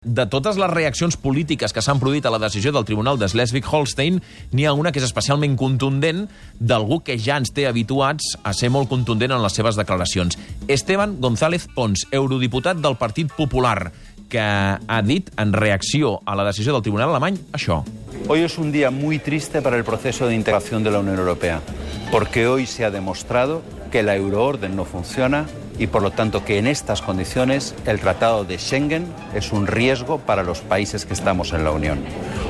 De totes les reaccions polítiques que s'han produït a la decisió del Tribunal de Schleswig-Holstein, n'hi ha una que és especialment contundent, d'algú que ja ens té habituats a ser molt contundent en les seves declaracions. Esteban González Pons, eurodiputat del Partit Popular, que ha dit en reacció a la decisió del Tribunal alemany això. Hoy es un día muy triste para el proceso de integración de la Unión Europea, porque hoy se ha demostrado que la euroorden no funciona y por lo tanto que en estas condiciones el Tratado de Schengen es un riesgo para los países que estamos en la Unión.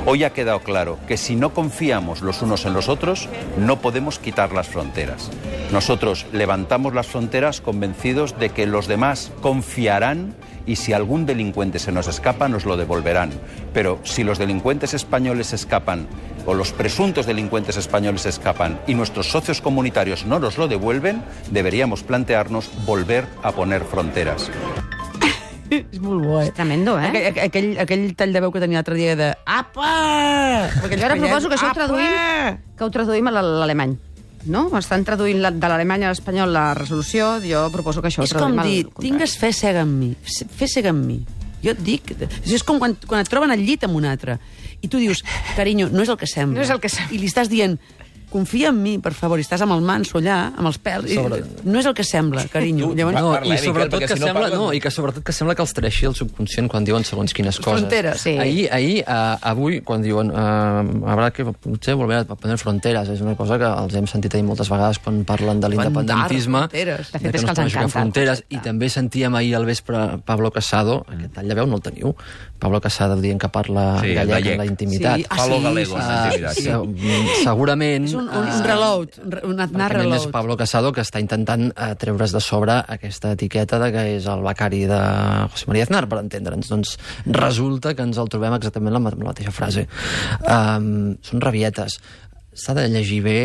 Hoy ha quedado claro que si no confiamos los unos en los otros, no podemos quitar las fronteras. Nosotros levantamos las fronteras convencidos de que los demás confiarán y si algún delincuente se nos escapa, nos lo devolverán. Pero si los delincuentes españoles escapan o los presuntos delincuentes españoles escapan y nuestros socios comunitarios no nos lo devuelven, deberíamos plantearnos volver a poner fronteras. És molt bo, És tremendo, eh? Aquell tall de veu que tenia l'altre dia de apa! Jo ara proposo que això ho traduïm a l'alemany. No? Estan traduint de l'alemany a l'espanyol la resolució, jo proposo que això ho traduïm al contrari. És com dir, tingues fe cega en mi, fe cega en mi. Jo et dic... És com quan et troben al llit amb un altre i tu dius, carinyo, no és el que sembla. No és el que sembla. I li estàs dient, confia en mi, per favor, i estàs amb el manso allà, amb els pèls, no és el que sembla, carinyo. I sobretot que sembla, sobretot que sembla que els treixi el subconscient quan diuen segons quines coses. Fronteres. Sí. Avui, quan diuen habrá que potser volver a poner fronteres, és una cosa que els hem sentit ahir moltes vegades quan parlen de l'independentisme, De fet, que és no que es els poden jugar encanta. fronteres, i també sentíem ahir al vespre Pablo Casado, aquest tall de veu no el teniu, Pablo Casado dient que parla gallec en la intimitat. Falo galego en la intimitat. Segurament... Un reload, un anar Perquè és reload. Pablo Casado que està intentant treure's de sobre aquesta etiqueta de que és el becari de José María Aznar, per entendre'ns. Doncs resulta que ens el trobem exactament la mateixa frase. Són rabietes. S'ha de llegir bé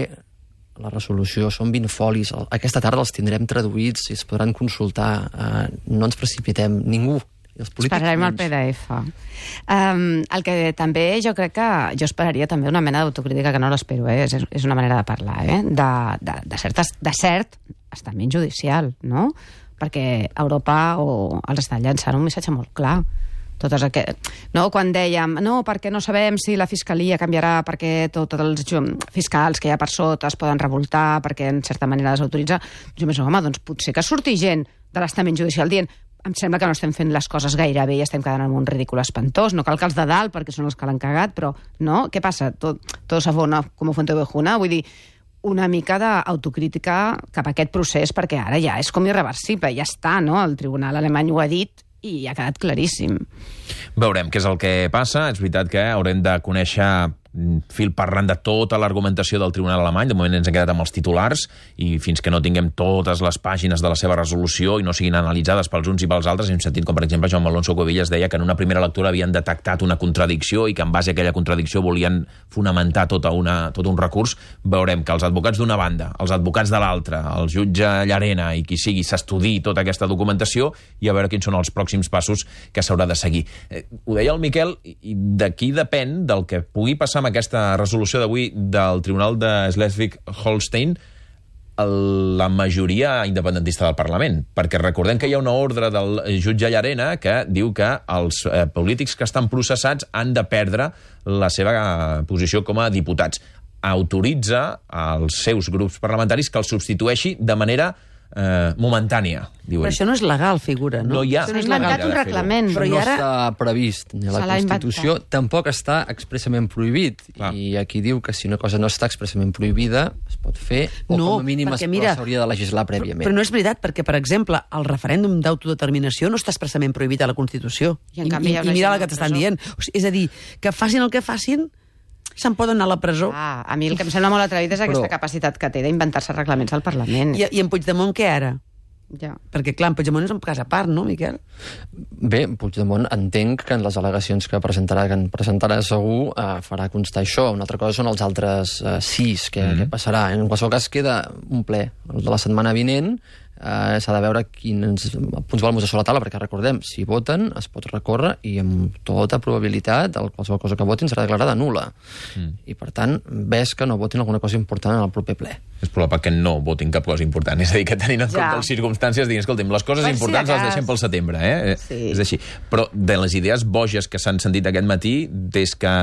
la resolució, són 20 folis. Aquesta tarda els tindrem traduïts i es podran consultar. No ens precipitem, ningú. Esperarem el PDF. El que també jo crec que... Jo esperaria també una mena d'autocrítica, que no l'espero, és una manera de parlar, de cert estament judicial, no? Perquè Europa els està llançant un missatge molt clar. No? Quan dèiem, no, perquè no sabem si la Fiscalia canviarà, perquè tots els fiscals que hi ha per sota es poden revoltar, perquè en certa manera desautoritza. Jo penso, home, doncs potser que surti gent de l'estament judicial dient em sembla que no estem fent les coses gaire bé i estem quedant en un ridícul espantós. No cal que els de dalt, perquè són els que l'han cagat, però no? Què passa? Tot se fona com fuente ovejuna? Vull dir, una mica d'autocrítica cap a aquest procés, perquè ara ja és com irreversible, ja està, no? El tribunal alemany ho ha dit i ha quedat claríssim. Veurem què és el que passa. És veritat que haurem de conèixer fil parlant de tota l'argumentació del Tribunal alemany. De moment ens hem quedat amb els titulars i fins que no tinguem totes les pàgines de la seva resolució i no siguin analitzades pels uns i pels altres, hem sentit com, per exemple, Jaume Alonso Cuevillas deia que en una primera lectura havien detectat una contradicció i que en base a aquella contradicció volien fonamentar tot un recurs. Veurem que els advocats d'una banda, els advocats de l'altra, el jutge Llarena i qui sigui, s'estudiï tota aquesta documentació i a veure quins són els pròxims passos que s'haurà de seguir. Ho deia el Miquel, i d'aquí depèn del que pugui passar amb aquesta resolució d'avui del Tribunal de Schleswig-Holstein la majoria independentista del Parlament, perquè recordem que hi ha una ordre del jutge Llarena que diu que els polítics que estan processats han de perdre la seva posició com a diputats. Autoritza als seus grups parlamentaris que els substitueixi de manera momentània, diuen. Però això no és legal, figura, no? No hi ha. S'ha inventat un reglament. Però no està previst ni a la Constitució, tampoc està expressament prohibit. I aquí diu que si una cosa no està expressament prohibida, es pot fer, o com a mínim s'hauria de legislar prèviament. Però no és veritat, perquè, per exemple, el referèndum d'autodeterminació no està expressament prohibit a la Constitució. I mira el que t'estan dient. És a dir, que facin el que facin, se'n poden anar a la presó. A mi el que em sembla molt atrevit és aquesta capacitat que té d'inventar-se reglaments al Parlament. I en Puigdemont què ara? Ja. Perquè, clar, en Puigdemont és un cas a part, no, Miquel? Bé, Puigdemont entenc que en les al·legacions que presentarà segur farà constar això. Una altra cosa són els altres 6, què passarà. En qualsevol cas queda un ple, el de la setmana vinent, s'ha de veure quins punts volen posar sobre la taula, perquè recordem, si voten es pot recórrer i amb tota probabilitat qualsevol cosa que votin serà declarada nul·la. I per tant, ves que no votin alguna cosa important en el proper ple. És probable que no votin cap cosa important. És a dir, que tenint en compte les circumstàncies, diguin, escolta'm, les coses importants les deixem pel setembre, És així. Però de les idees boges que s'han sentit aquest matí, des que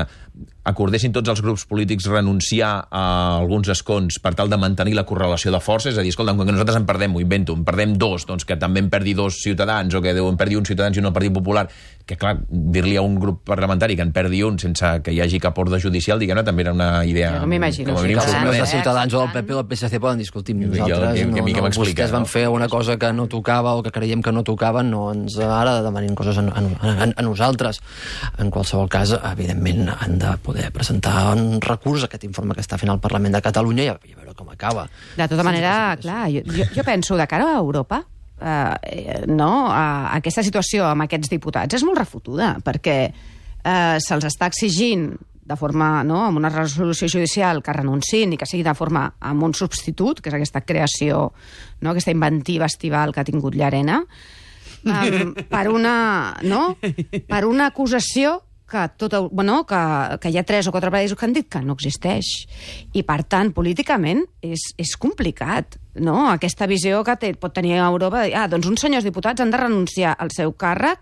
acordessin tots els grups polítics renunciar a alguns escons per tal de mantenir la correlació de forces, és a dir, escolta, quan nosaltres en perdem, ho invento, en perdem dos, doncs que també en perdi dos Ciutadans, o que en perdi un Ciutadans i un Partit Popular, que clar, dir-li a un grup parlamentari que en perdi un sense que hi hagi cap ordre judicial, diguem-ne, també era una idea... Jo no m'imagino. Els Ciutadans o el PP o el PSC poden discutir amb nosaltres. Vostès van fer una cosa que no tocava o que creiem que no tocava, no ens ara demanin coses a nosaltres. En qualsevol cas, evidentment, han de poder presentar un recurs a aquest informe que està fent el Parlament de Catalunya i a veure com acaba. De tota manera, clar, jo penso, de cara a Europa, aquesta situació amb aquests diputats és molt refotuda, perquè se'ls està exigint de forma, amb una resolució judicial que renunciïn i que sigui de forma amb un substitut, que és aquesta creació, aquesta inventiva estival que ha tingut Llarena, per una acusació que hi ha 3 o 4 països que han dit que no existeix. I, per tant, políticament és complicat, no? Aquesta visió que pot tenir Europa de dir, doncs uns senyors diputats han de renunciar al seu càrrec,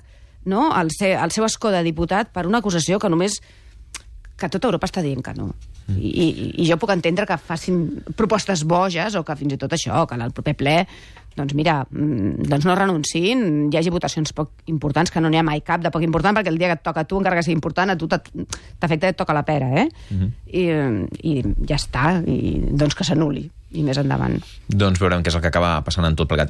al seu escó de diputat per una acusació que tota Europa està dient que no. I jo puc entendre que facin propostes boges o que fins i tot això, que al proper ple doncs mira, no renunciïn, hi hagi votacions poc importants, que no n'hi ha mai cap de poc important, perquè el dia que et toca a tu, encara que sigui important, a tu t'afecta i et toca la pera, I ja està, i doncs que s'anul·li, i més endavant. Doncs veurem què és el que acaba passant en tot plegat.